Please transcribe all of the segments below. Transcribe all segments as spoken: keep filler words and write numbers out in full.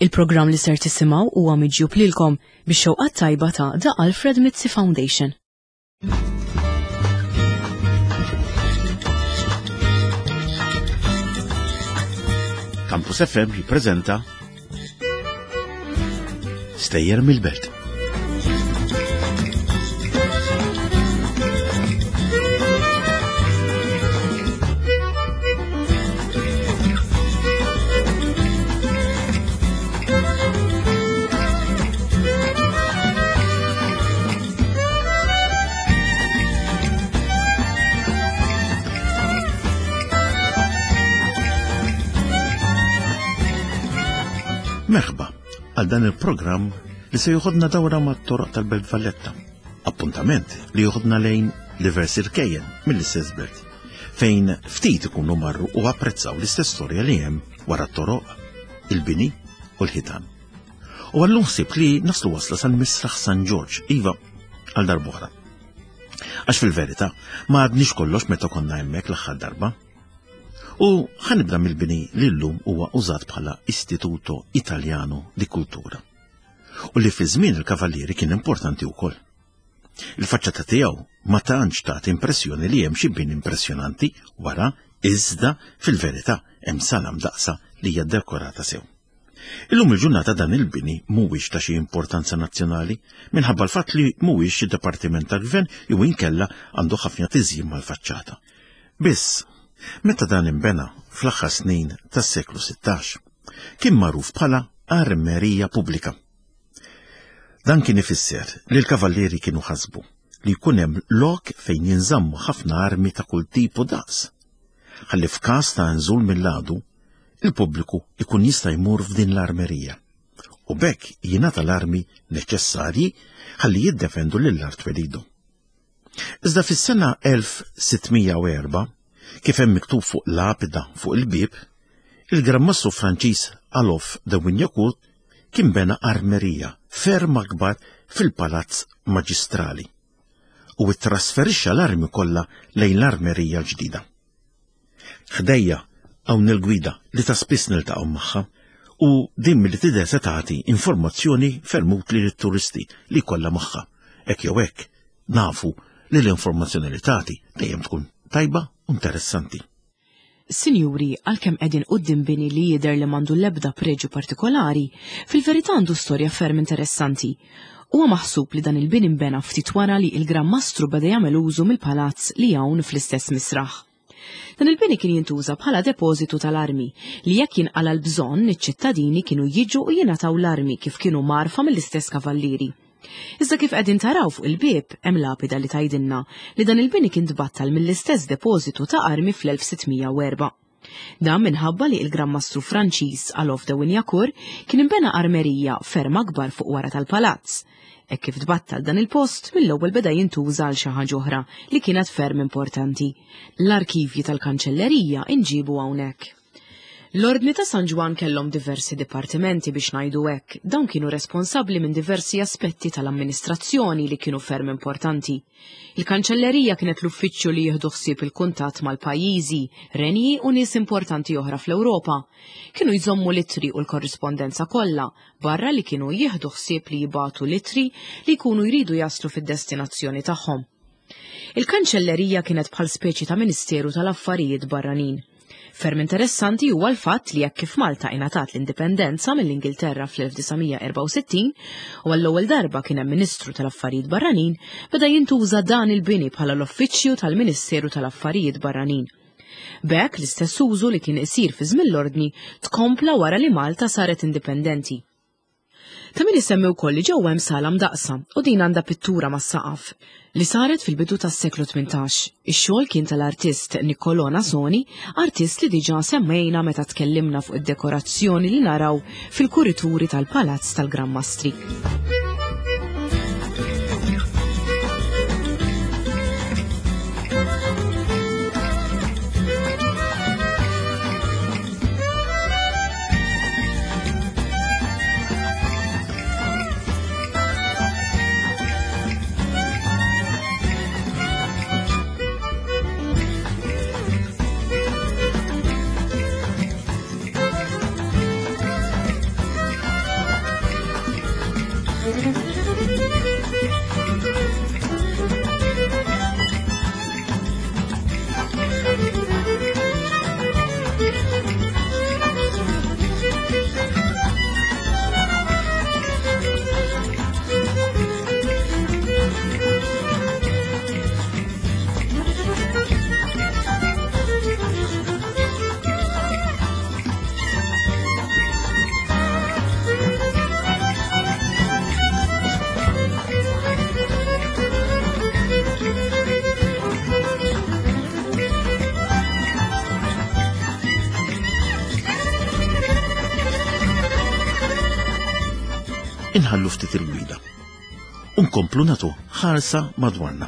Il-programm li ser tisimgħu huwa miġjub lilkom bix-xewqat tajba ta' The Alfred Mizzi Foundation. Campus F M jippreżenta Stejjer mill-Belt. Merħba għal dan il-programm li se joħodna dawra mat-toroq tal-Belt Valletta. Appuntament li joħodna lejn diversi rkejjen mill-istess belt, fejn ftit ikunu marru u apprezzaw l-istess storja li hemm wara t-toroq, il-bini u l-ħitan. U għallum ħsibt li naslu wasla sal-Misraħ San Ġorġ, iva, għal darb'oħra. Għax fil-verità, ma għadniex kollox meta konna hemmhekk l-aħħar darba. U ħanibda mill-bini li llum huwa użat bħala Istituto Italiano di Cultura. U li fi żmien il-Kavallieri kien importanti wkoll. Il-faċċata tiegħu ma tantx tagħti impressjoni li hemm xi bini impressjonanti wara, iżda fil-verità hemm sala mdaqsa li hija dekorata sew. Illum il-ġurnata dan il-bini mhuwiex ta' xi importanza nazzjonali minħabba l-fatt li mhuwiex xi dipartiment tal-gvern jew inkella għandu ħafna tiżjin mal-faċċata. Biss, meta dan imbena fl-aħħar snin tas-seklu sittax, kien magħruf bħala armerija pubblika. Dan kien ifisser li l-kavallieri kienu ħasbu li jkun hemm lok fejn jinżammu ħafna armi ta' kull tip u daqs. Ħalli f'każ ta' nżul mill-għadu, il-pubbliku ikun jista' jmur f'din l-armerija u b'hekk jingħata l-armi neċessarji ħalli jiddefendu lill-art twelidu. Iżda fis-sena elf sittmija u erba', kif hemm miktub fuq lapida fuq il-bieb, il-Gran Mastru Franċiż Alof de Wignacourt kien bena armerija ferm akbar fil-Palazz Maġistrali u ttrasferixxa l-armi kollha lejn l-armerija l-ġdida. Ħdejja hawn il-gwida li ta' spiss niltaqgħu magħha u din milli tidher se tagħti informazzjoni ferm utli lit-turisti li kollha magħha. Hekk jew hekk nafu li l-informazzjoni li tagħti dejjem tkun tajba u interessanti. Sinjuri, għalkemm qegħdin quddiem bini li jidher li m'għandu l-ebda preġju partikolari, fil-verità għandu storja ferm interessanti. Huwa maħsub li dan il-bini nbena ftit wara li il-Gran Mastru beda jagħmel użu mill-palazz li hawn fl-istess misraħ. Dan il-bini kien jintuża bħala depożitu tal-armi li jekk jinqala l-bżonn iċ-ċittadini kienu jiġu u jingħataw l-armi kif kienu marfa mill-istess kavallieri. Iżda kif qegħdin taraw fuq il-bieb hemm lapida li tgħidilna li dan il-bini kien tbattal mill-istess depożitu ta' armi fl-elf sittmija u erba'. Dan minħabba li il-Gran Mastru Franċiż Alof de Wignacourt kien imbena armerija ferm akbar fuq wara tal-palazz. Hekk kif tbattal dan il-post, mill-ewwel beda jintuża għal xi ħaġa oħra li kienet ferm importanti. L-arkivji tal-kanċellerija inġibu hawnhekk. L-Ordni ta' San Ġwann kellhom diversi dipartimenti biex ngħidu hekk, dawn kienu responsabbli minn diversi aspetti tal-amministrazzjoni li kienu ferm importanti. Il-kanċellerija kienet l-uffiċċju li jieħdu ħsieb il-kuntatt mal-pajjiżi, renji u nies importanti oħra fl-Ewropa. Kienu jżommu l-ittri u l-korrispondenza kollha, barra li kienu jieħdu ħsieb li jibagħtu l-ittri li jkunu jridu jaslu fid-destinazzjoni tagħhom. Il-kanċellerija kienet bħal speċi ta' Ministeru tal-Affarijiet Barranin. Ferm interessanti huwa l-fatt li jekk kif Malta ingħatat l-indipendenza mill-Ingilterra fl-elf disa' erba' u sittin u għall-ewwel darba kien hemm Ministru tal-Affarijiet Barranin, beda jintuża dan il-bini bħala l-Uffiċċju tal-Ministeru tal-Affarijiet Barranin. B'hekk l-istess użu li kien isir fi żmien l-Ordni tkompla wara li Malta saret indipendenti. Ta' min isemmi wkoll li ġewwa hemm sala mdaqsa u din għandha pittura mas-saqaf li saret fil-bidu tas-seklu tmintax. Ix-xogħol kien tal-artist Niccolò Nasoni, artist li diġà semmejna meta tkellimna fuq id-dekorazzjoni li naraw fil-kurituri tal-Palazz tal-Gran Mastri. Inħallu ftit il-gwida. U nkomplu nagħtu ħarsa madwarna.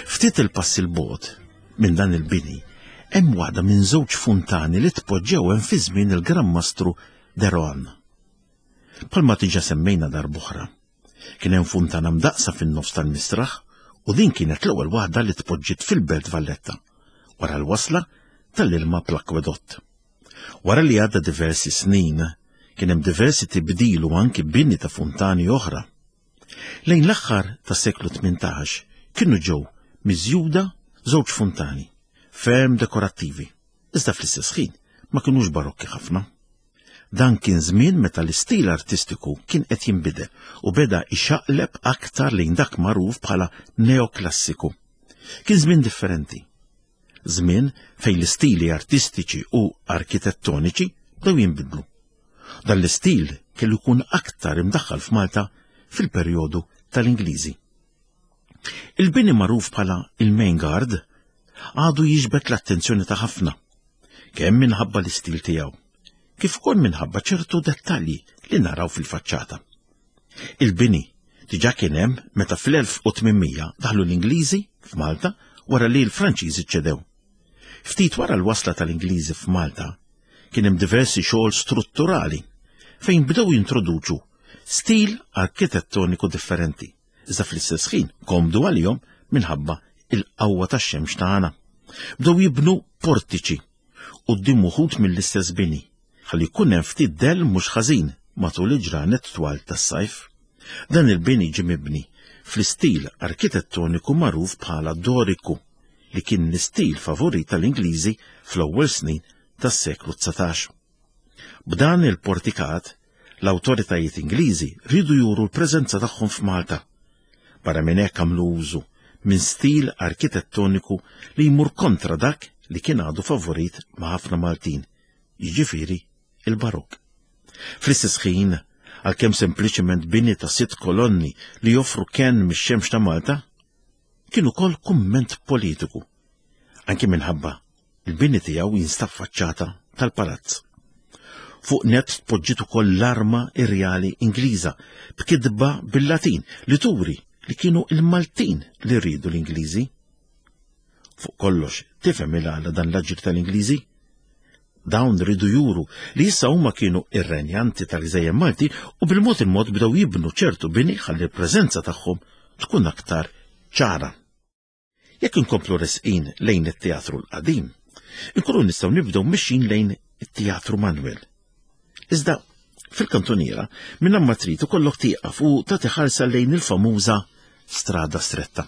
Ftit il-pass il-bogħod minn dan il-bini hemm waħda minn żewġ funtani li tpoġġew hemm fi żmien il-Gran Mastru de Rohan. Bħalma diġà semmejna darb'oħra, kien hemm funtana mdaqsa fin-nofs tal-mistraħ u din kienet l-ewwel waħda li tpoġġiet fil-Belt Valletta wara l-wasla tal-ilma bl-akwedott. Wara li għadda diversi snin, kien hemm diversi tibdil u anki bini ta' funtani oħra. Lejn l-aħħar tas-seklu tmintax kienu ġew miżjuda żewġ funtani, ferm dekorattivi, iżda fl-istess ħin ma kinux barokki ħafna. Dan kien żmien meta l-istil artistiku kien qed jinbidel u beda ixaqleb aktar lejn dak magħruf bħala neoklassiku. Kien żmien differenti. Żmien fejn l-istili artistiċi u arkitettoniċi bdew jinbidlu. Dan l-istil kellu jkun aktar imdaħħal f'Malta fil-perjodu tal-Ingliżi. Il-bini magħruf bħala il-Main Guard għadu jiġbed l-attenzjoni ta' ħafna, kemm minħabba l-istil tiegħu, kif ukoll minħabba ċertu dettalji li naraw fil-faċċata. Il-bini diġà kien hemm meta fl-elf u tmien mija daħlu l-Ingliżi f'Malta wara li l-Franċiżi ċedew. Ftit wara l-wasla tal-Ingliżi f'Malta kien hemm diversi xogħol strutturali fejn bdew jintroduċu stil arkitettoniku differenti, iżda fl-istess ħin komdu għalihom minħabba il-qawwa tax-xemx tagħna. Bdew jibnu portiċi quddiem uħud mill-istess bini, ħalli jkun hemm ftit dell mhux ħażin matul il-ġranet twal tas-sajf. Dan il-bini ġie mibni fl-istil arkitettoniku magħruf bħala Doriku, li kien l-istil favorit tal-Ingliżi fl-ewwel snin tas-seklu dsatax. B'dan il-portikat, l-awtoritajiet Ingliżi riedu juru l-preżenza tagħhom f'Malta. Barra minn hekk għamlu użu minn stil arkitettoniku li jmur kontra dak li kien għadu favorit ma' ħafna Maltin, jiġifieri il-Barokk. Fl-istess ħin, għalkemm sempliċement bini ta' sitt kolonni li joffru kenn mix-xemx ta' Malta, kien ukoll kumment politiku, anki minħabba il-bini tiegħu jinstab faċċata tal-palazz. Fuq net tpoġġiet ukoll l-arma irjali Ingliża b'kitba bil-Latin li turi li kienu il-Maltin li rridu l-Ingliżi. Fuq kollox, tifhem il-għala dan l-aġir tal-Ingliżi? Dawn ridu juru li issa huma kienu ir-renjanti tal-Gżejjer Malti u bil-mod il-mod bdew jibnu ċertu bini ħalli l-preżenza tagħhom tkun aktar ċara. Jekk inkomplu resqin lejn it-teatru l-qadim, inkunu nistgħu nibdew mixin lejn it-Teatru Manuel. Iżda fil-kantuniera minn hemm ma trid ikollok tieqaf u tagħti ħarsa lejn il-famuża Strada Stretta.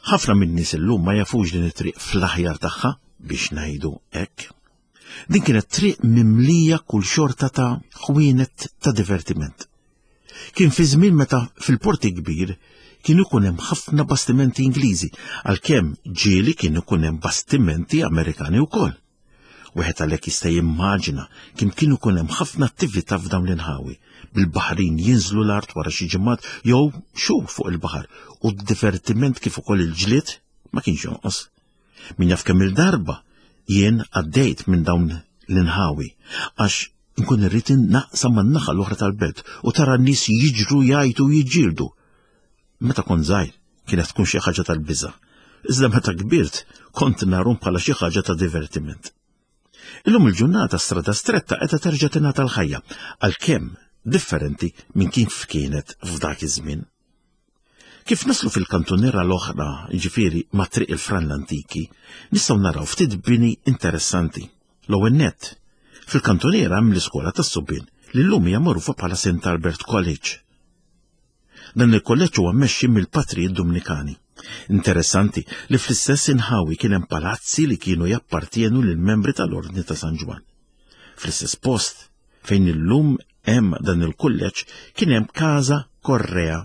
Ħafna min-nies illum ma jafux din it-triq fl-aħjar tagħha biex ngħidu hekk. Din kienet triq mimlija kull xorta ta' ħwienet ta' divertiment. Kien fi żmien meta fil-porti kbir kien ikun hemm ħafna bastimenti Ingliżi, għalkemm ġieli kien ikun hemm bastimenti Amerikani wkoll. Wieħed għalhekk jista' jimmaġina kemm kien ikun hemm ħafna attività f'dawn l-inħawi, bil-baħrin jinżlu l-art wara xi ġimgħat jew xhur fuq il-baħar, u d-divertiment kif ukoll il-ġlied ma kienx jonqos. Min jaf kemm il-darba jien għaddejt minn dawn l-inħawi għax nkun irrid naqsam man-naħa l-oħra tal-belt u tara n-nies jiġru jgħajtu u jiġġieldu. Meta kont żgħir kienet tkun xi ħaġa tal-biża', iżda meta kbirt kont narhom bħala xi ħaġa ta' divertiment. Illum il-ġurnata Strada Stretta qiegħda terġa' tingħata l-ħajja, għalkemm differenti minn kif kienet f'dak iż-żmien. Kif naslu fil-kantuniera l-oħra, jiġifieri ma' Triq il-Fran l-Antiki, nistgħu naraw ftit bini interessanti. L-ewwel nett, fil-kantuniera hemm l-iskola tas-subien li llum hija magħrufa bħala Saint Albert College. Dan il-kolleġġ huwa mmexxi mill-patrijiet Dominikani. Interessanti li fl-istess inħawi kien hemm palazzi li kienu jappartienu lil membri tal-Ordni ta' San Ġwann. Fl-istess post fejn illum hemm dan il-kulleġġ kien hemm Casa Correa.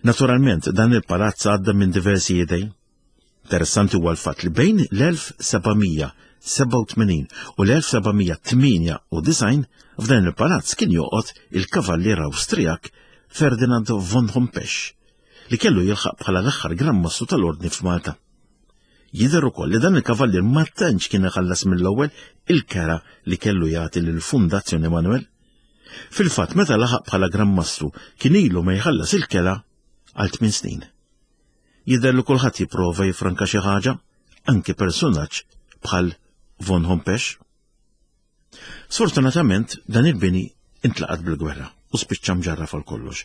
Naturalment dan il-palazz għadda minn diversi idejn. Interessanti huwa l-fatt li bejn l-elf seba' mija sebgħa u tmenin u l-elf seba' mija tmienja u disgħin f'dan il-palazz kien joqgħod il-kavallier Awstrijak Ferdinand von Hompesch, li kellu jilħaq bħala l-aħħar Gran Mastru tal-Ordni f'Malta. Jidher ukoll li dan il-kavallier ma tantx kien iħallas mill-ewwel il-kera li kellu jagħti lill-Fundazzjoni Manuel. Fil-fatt meta laħaq bħala Gran Mastru kien ilu ma jħallas il-kela għal tmien snin. Jidher li kulħadd jipprova jifranka xi ħaġa, anke personaġġ bħal von Hompesch. Sfortunatament dan il-bini intlaqat bil-gwerra u spiċċa mġarraf għal kollox.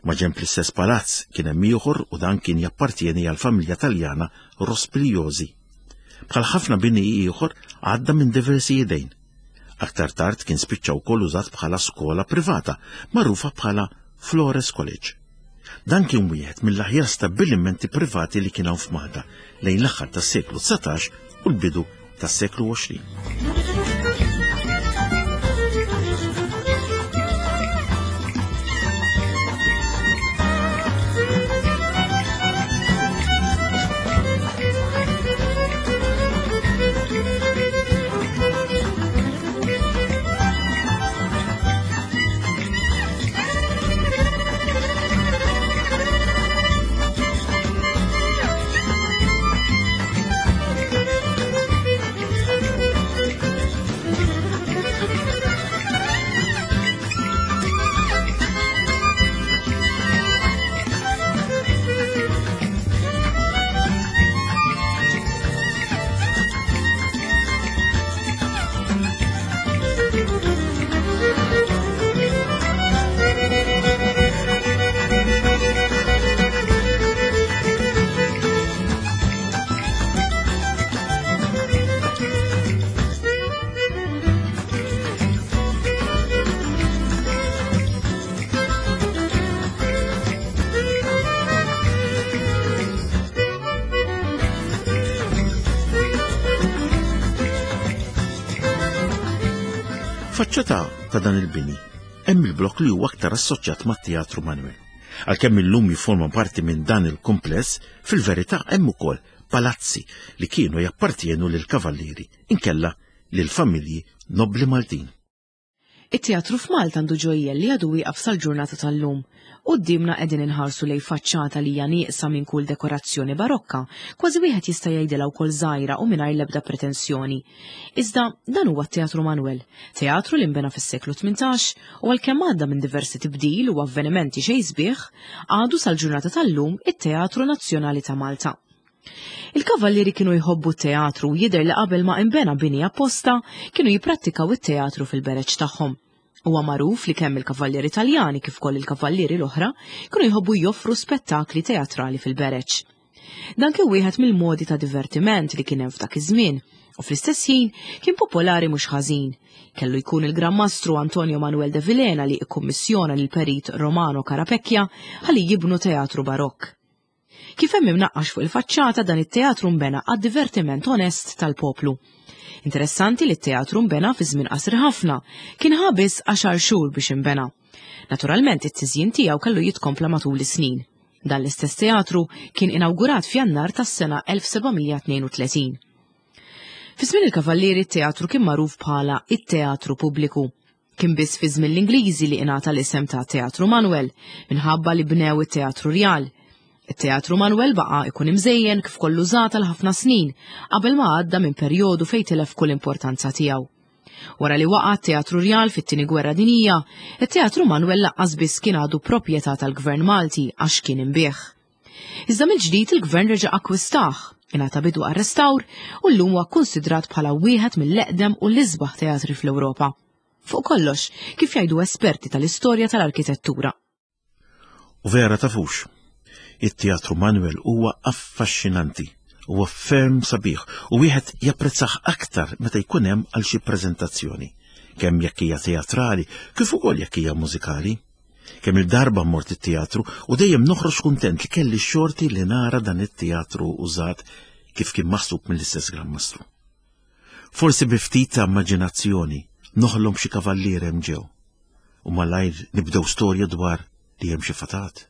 Ma ġenb l-istess palazz kien hemm ieħor u dan kien jappartieni għal familja Taljana Rospigliosi. Bħal ħafna bini ieħor għadda minn diversi idejn. Aktar tard kien spiċċa wkoll użat bħala skola privata, magħrufa bħala Flores College. Dan kien wieħed mill-aħjar stabbilimenti privati li kien hawn f'Malta lejn l-aħħar tas-seklu dsatax u l-bidu tas-seklu għoxrin. Faċċata ta' dan il-bini hemm il-blok li huwa aktar assoċjat mat-Teatru Manuel. Għalkemm illum jiforma parti minn dan il-kumpless, fil-verità hemm ukoll palazzi li kienu jappartienu lil kavallieri inkella lil familji nobli Maltin. It-teatru f'Malta għandu ġojjel li għadu wieqaf sal-ġurnata tal-lum. Quddiemna qegħdin inħarsu lejn faċċata li hija nieqsa minn kull dekorazzjoni barokka, kważi wieħed jista' jgħidilha wkoll żgħira u mingħajr l-ebda pretensjoni. Iżda dan huwa t-Teatru Manuel, teatru li nbena fis-seklu tmintax u għalkemm għadda minn diversi tibdil u avvenimenti xejn sbieħ, għadu sal-ġurnata tal-lum it-Teatru Nazzjonali ta' Malta. Il-kavallieri kienu jħobbu t-teatru u jidher li qabel ma imbena bini apposta kienu jipprattikaw it-teatru fil-bereġ tagħhom. Huwa magħruf li kemm il-kavallieri Taljani kif ukoll il-kavallieri l-oħra kienu jħobbu joffru spettakli teatrali fil-bereġ. Dan kien wieħed mill-modi ta' divertiment li kien hemm f'dak iż-żmien u fl-istess ħin kien popolari mhux ħażin. Kellu jkun il-Gran Mastru Antonio Manuel de Vilhena li ikkummissjona lil perit Romano Carapecchia ħalli jibnu teatru barokk. Kif hemm imnaqqax fuq il-faċċata dan it-teatru nbena għad-divertiment onest tal-poplu. Interessanti li t-teatru nbena fi żmien qasir ħafna, kien ħa biss għaxar xhur biex inbena. Naturalment it-tiżjin tiegħu kellu jitkompla matul is-snin. Dan l-istess teatru kien inawgurat f'Jannar tas-sena elf seba' mija tnejn u tletin. Fi żmien il-Kavallieri t-teatru kien magħruf bħala it-Teatru Pubbliku. Kien biss fi żmien l-Ingliżi li ingħata l-isem ta' Teatru Manuel minħabba li bnew it-Teatru Rjal. It-Teatru Manuel baqa' ikun imżejjen kif kollu użat għal ħafna snin qabel ma għadda minn perjodu fejn tilef kull importanza tiegħu. Wara li waqa' t-Teatru Rjal fit-Tieni Gwerra Dinjija, it-Teatru Manuel laqqas biss kien għadu proprjetà tal-Gvern Malti għax kien imbieħ. Iżda mill-ġdid il-Gvern reġa' akkwistah, ingħata bidu għar-restawr u llum huwa kkunsidrat bħala wieħed mill-eqdem u l-isbaħ teatri fl-Ewropa. Fuq kollox, kif jgħidu esperti tal-istorja tal-arkitettura. U vera tafux, it-Teatru Manuel huwa affaxxinanti, huwa ferm sabiħ u wieħed japprezzah aktar meta jkun hemm għal xi preżentazzjoni, kemm jekk hija teatrali kif ukoll jekk hija mużikali. Kemm il-darba mort it-teatru u dejjem noħroġ kuntent li kelli x-xorti li nara dan it-teatru użat kif kien maħsub mill-istess Gran Mastru. Forsi bi ftit ta' immaġinazzjoni noħlom xi kavallier hemm ġew u malajr nibdew storja dwar li hemm xi fatat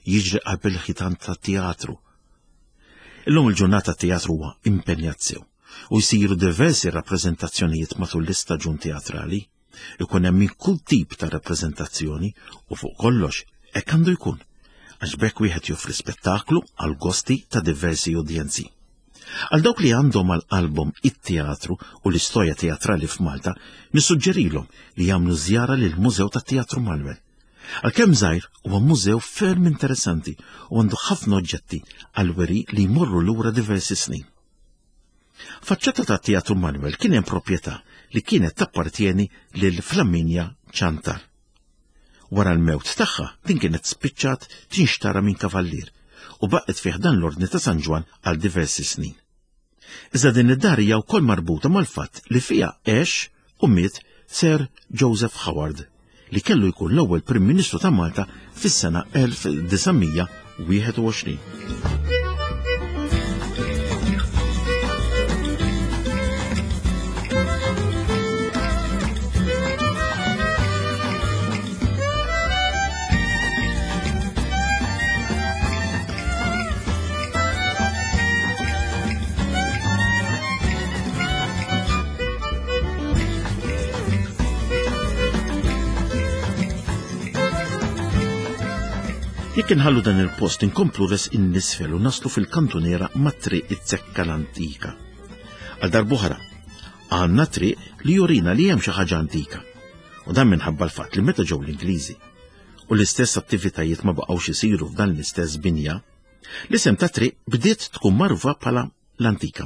jiġri qabel ħitan tat-teatru. Illum il-ġurnata t-teatru huwa impenjat sew u jsiru diversi rappreżentazzjonijiet matul l-istaġun teatrali. Ikun hemm minn kull tip ta' rappreżentazzjoni u fuq kollox hekk għandu jkun, għax b'hekk wieħed joffri spettaklu għal gosti ta' diversi udjenzi. Għal dawk li għandhom għal qalbhom it-teatru u l-istorja teatrali f'Malta, nissuġġerilhom li jagħmlu żjara lil Mużew tat-Teatru Manoel. Għalkemm żgħir huwa mużew ferm interessanti u għandu ħafna oġġetti għal weri li jmorru lura diversi snin. Faċċata tat-Teatru Manoel kien hemm proprjetà li kienet tappartieni lil Flaminia Ciantar. Wara l-mewt tagħha din kienet spiċċat tinxtara minn kavallier u baqgħet fih dan l-Ordni ta' San Ġwann għal diversi snin. Iżda din id-dar hija wkoll marbuta mal-fatt li fiha għex u miet Sir Joseph Howard, li kellu jkun l-ewwel Prim Ministru ta' Malta fis-sena elf disa' mija wieħed u għoxrin. Jekk inħallu dan il-post inkomplu res in-nisfel u naslu fil-kantuniera mat-triq it-Zekka l-Antika. Għal darb'oħra, għandna triq li jurina li hemm xi ħaġa antika. U dan minħabba l-fatt li meta ġew l-Ingliżi u l-istess attivitajiet ma baqgħux isiru f'dan l-istess binja, l-isem ta' triq bdiet tkun magħrufa bħala l-Antika.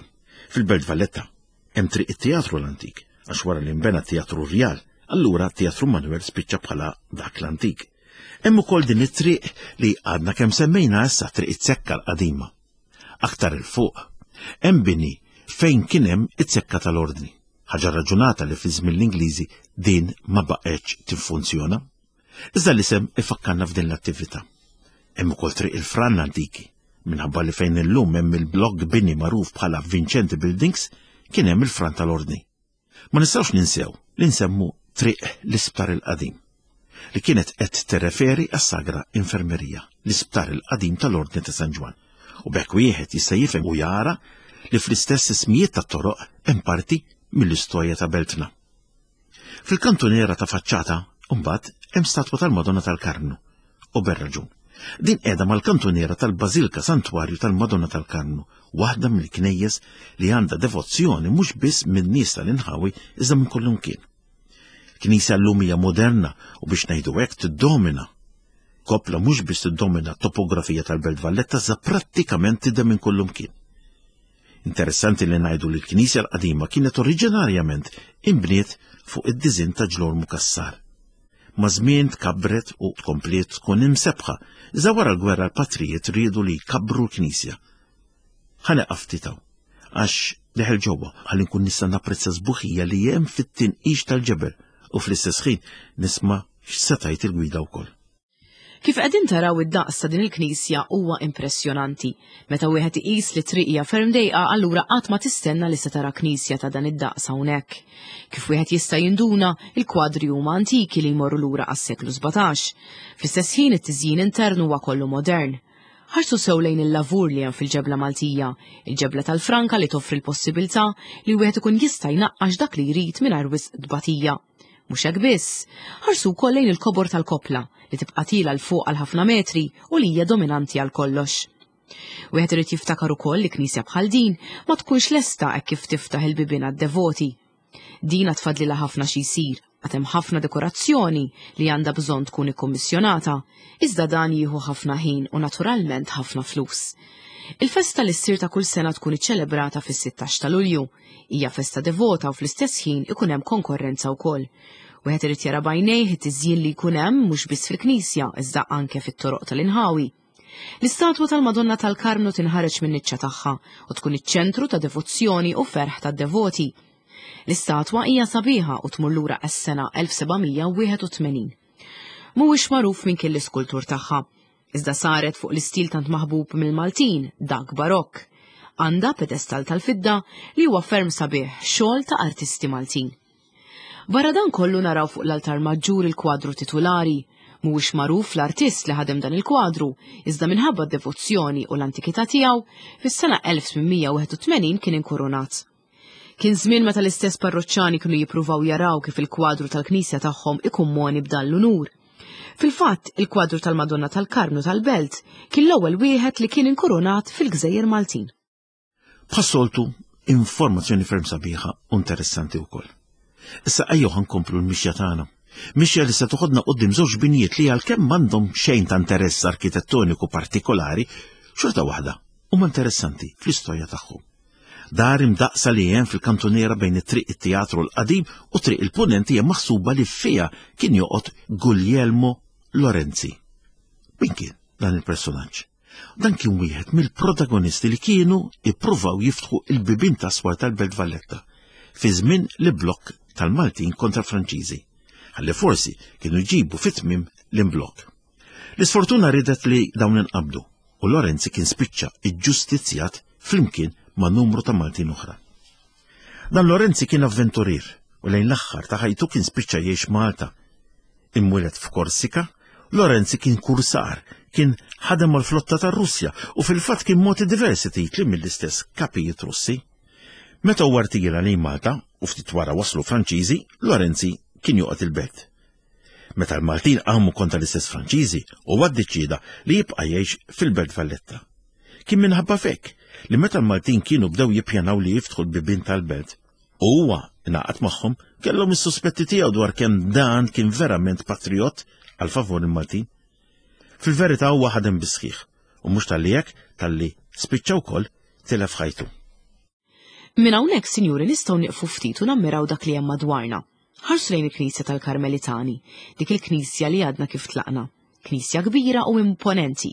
Fil-Belt Valletta hemm triq it-Teatru l-Antik, għax wara li nbena Teatru Rjal, allura Teatru Manoel spiċċa bħala dak l-Antik. Hemm ukoll din it-triq li għadna kemm semmejna issa triq it-Zekka l-qadima. Aktar il fuq hemm bini fejn kien hemm it-Zekka tal-Ordni. Ħaġa raġunata li fi żmien l-Ingliżi din ma baqgħetx tiffunzjona. Iżda l-isem ifakkarna f'din l-attività. Hemm ukoll triq il-Fran antiki, minħabba li fejn illum hemm il-blok bini magħruf bħala Vincenti Buildings kien hemm il-Fran tal-Ordni. Ma nistgħux ninsew li nsemmu triq l-Isptar il-Qadim, li kienet qed tirreferi għas-Sagra Infermerija, l-Isptar il-Qadim tal-Ordni ta' San Ġwann. U b'hekk wieħed jista' jifhem u jara li fl-istess ismijiet tat-toroq hemm parti mill-istorja ta' beltna. Fil-kantuniera ta' faċċata, mbagħad hemm statwa tal-Madonna tal-Karmnu, u berraġun. Din qiegħda mal-kantuniera tal-Bażilka Santwarju tal-Madonna tal-Karmnu, waħda mill-knejjes li għandha devozzjoni mhux biss min-nies tal-inħawi iżda minn kullimkien. Knisja llum hija moderna u biex ngħidu hekk tiddomina. Kopla mhux biss tiddomina t-topografija tal-Belt Valletta iżda prattikament tidher minn kullimkien. Interessanti li ngħidu li l-Knisja l-qadima kienet oriġinarjament inbniet fuq id-diżinn ta' Ġlormu Cassar. Ma' żmien tkabbret u tkompliet tkun imsebħa, iżda wara l-gwerra l-patrijiet riedu li jkabbru l-Knisja. Ħa nieqaf ftit hawn, għax deħel ġewwa ħalli nkun nista' napprezza sbuħija li hemm fit-tinqix tal-ġebel u fl-istess ħin nisma' x'se tgħid il-gwida wkoll. Kif qegħdin taraw id-daqs ta' din il-knisja huwa impressjonanti. Meta wieħed iqis li triq hija ferm dejqa, allura qatt ma tistenna li se tara knisja ta' dan id-daqs hawnhekk. Kif wieħed jista' jinduna, il-kwadri huma antiki li jmorru lura għas-seklu sbatax. Fl-istess ħin it-tiżjin internu huwa kollu modern. Ħarsu sew lejn il-lavur li hemm fil-ġebla Maltija, il-ġebla tal-Franka li toffri l-possibilità li wieħed ikun jista' jnaqqax dak li jrid mingħajr wisq tbatija. Mhux hekk biss, ħarsu wkoll lejn il-kobor tal-kopla li tibqa' tila l fuq għal ħafna metri u li hija dominanti għal kollox. Wieħed irid jiftakar ukoll li knisja bħal din ma tkunx lesta hekk kif tiftaħ il-bibien għad-devoti. Din għad tfadlilha ħafna xi jsir, għad hemm ħafna dekorazzjoni li għandha bżonn tkun ikkummissjonata, iżda dan jieħu ħafna ħin u naturalment ħafna flus. Il-festa li ssir ta' kull sena tkun iċċelebrata fis-sittax ta' Lulju. Hija festa devota u fl-istess ħin ikun hemm konkorrenza wkoll. Wieħed irid jara b'għajnejh it-tiżjin li jkun hemm mhux biss fil-knisja iżda anke fit-toroq tal-inħawi. L-istatwa tal-Madonna tal-Karmnu tinħareġ min-niċċa tagħha u tkun iċ-ċentru ta' devozzjoni u ferħ tad-devoti. L-istatwa hija sabiħa u tmur lura għas-sena elf seba' mija wieħed u tmenin. Mhuwiex magħruf minn kien l-iskultur tagħha, iżda saret fuq l-istil tant maħbub mill-Maltin, dak barokk. Għandha pedestal tal-fidda li huwa ferm sabiħ, xogħol ta' artisti Maltin. Barra dan kollu naraw fuq l-altar maġġur il-kwadru titulari. Mhuwiex magħruf l-artist li ħadem dan il-kwadru, iżda minħabba d-devozzjoni u l-antikità tiegħu, fis-sena elf tmien mija wieħed u tmenin kien inkurunat. Kien żmien meta l-istess parroċċani kienu jippruvaw jaraw kif il-kwadru tal-knisja tagħhom ikun moni b'dan l-unur. Fil-fatt, il-kwadru tal-Madonna tal-Karmnu tal-Belt kien l-ewwel wieħed li kien inkurunat fil-Gżejjer Maltin. Bħas-soltu, informazzjoni ferm sabiħa u interessanti wkoll. Issa ejjew ħa nkomplu l-mixja tagħna. Mixja li se toħodna quddiem żewġ binjiet li għalkemm m'għandhom xejn ta' interess arkitettoniku partikolari, xorta waħda huma interessanti fl-istorja tagħhom. Dar imdaqsa li hemm fil-kantuniera bejn it-triq it-teatru l-qadim u triq il-Punent hija maħsuba li fiha kien joqgħod Guglielmo Lorenzi. Min kien dan il-personaġġ? Dan kien wieħed mill-protagonisti li kienu ippruvaw jiftħu il-bibien ta' swar tal-Belt Valletta fi żmien l-blokk tal-Maltin kontra Franċiżi, ħalli forsi kienu jġibu fit-tmiem l-imblokk. L-isfortuna ridet li dawn inqabdu u Lorenzi kien spiċċa iġġustizzjat flimkien ma' numru ta' Maltin oħra. Dan Lorenzi kien avventurier u lejn l-aħħar ta' ħajtu kien spiċċa jgħix Malta. Imwieled f'Korsika, Lorenzi kien kursar, kien ħadem mal-flotta tar-Russja u fil-fatt kien mogħti diversi titli mill-istess kapijiet Russi. Meta huwa rtira lejn Malta u ftit wara waslu Franċiżi, Lorenzi kien joqgħod il-belt. Meta l-Maltin qamu kontra l-istess Franċiżi, huwa ddeċieda li jibqa' jgħix fil-Belt Valletta. Kien minħabba f'hekk li meta l-Maltin kienu bdew jippjanaw li jiftħu l-bibien tal-belt, u huwa ingħaqad magħhom, kellhom is-suspetti tiegħu dwar kemm dan kien verament patriot għal favur il-Maltin. Fil-verità huwa ħadem bis-sħiħ, u mhux talli hekk, talli spiċċa wkoll tilef ħajtu. Minn hawnhekk, sinjuri, nistgħu nieqfu ftit u nammiraw dak li hemm madwarna. Ħarsu lejn il-Knisja tal-Karmelitani, dik il-knisja li għadna kif tlaqna. Knisja kbira u imponenti.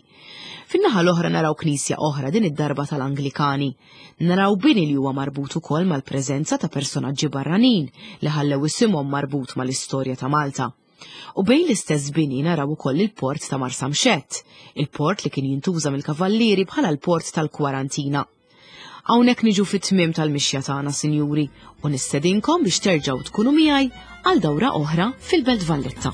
Fin-naħa l-oħra naraw knisja oħra, din id-darba tal-Anglikani. Naraw bini li huwa marbut ukoll mal-preżenza ta' personaġġi barranin li ħallew isimhom marbut mal-istorja ta' Malta. U bejn l-istess bini naraw ukoll il-port ta' Marsamxett, il-port li kien jintuża mill-kavallieri bħala l-port tal-Kwarantina. Hawnhekk niġu fit-tmiem tal-mixja tagħna, sinjuri, u nistedinkom biex terġgħu tkunu miegħi għal dawra oħra fil-Belt Valletta.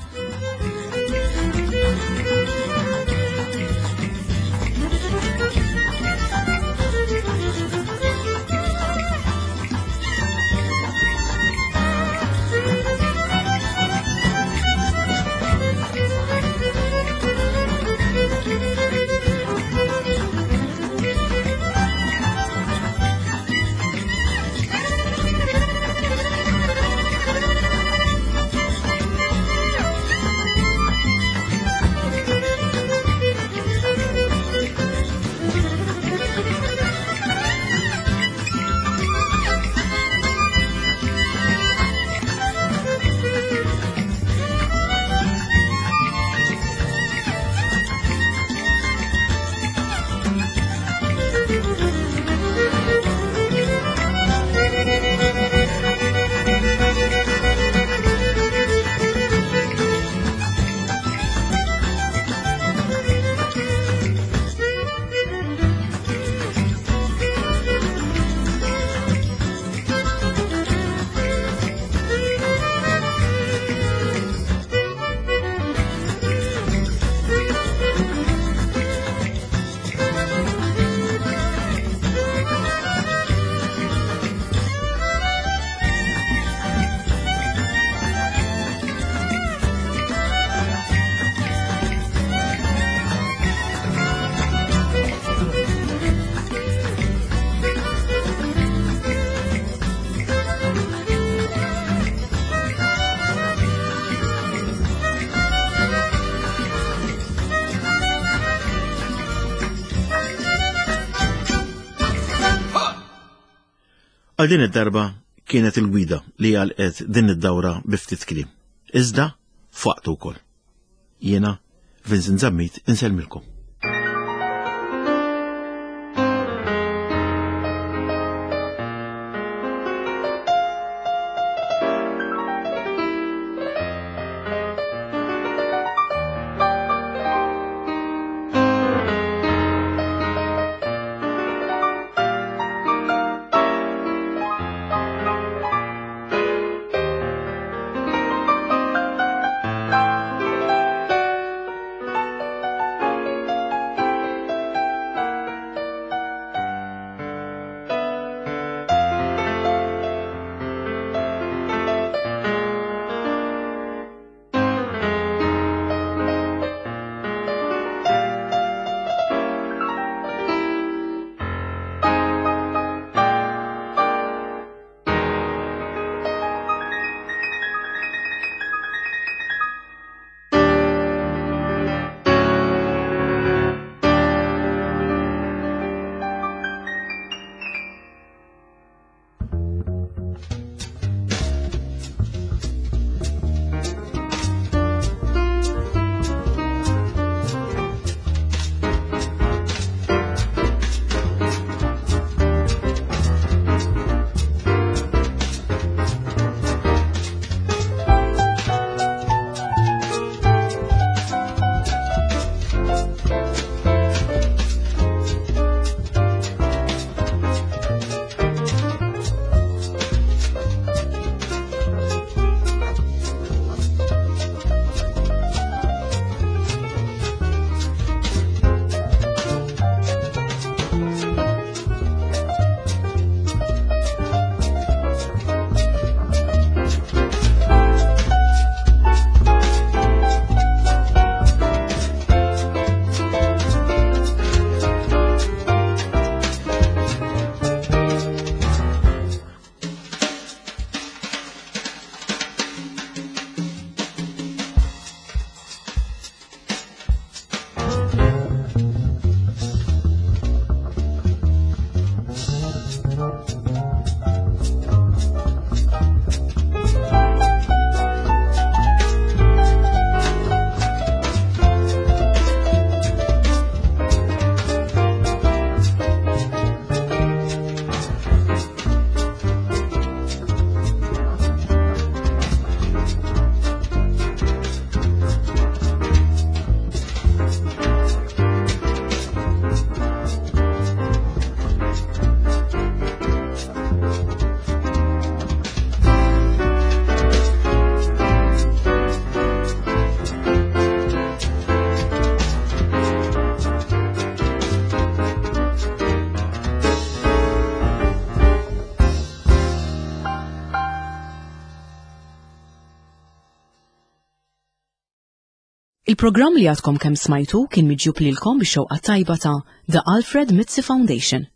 Għal din id-darba kienet il-gwida li għalqet din id-dawra bi ftit kliem. Iżda f'waqtu wkoll. Jiena Vincent Zammit insellmilkom. Il-programm li għadkom kemm smajtu kien miġjub lilkom bix-xewqa tajba ta' The Alfred Mizzi Foundation.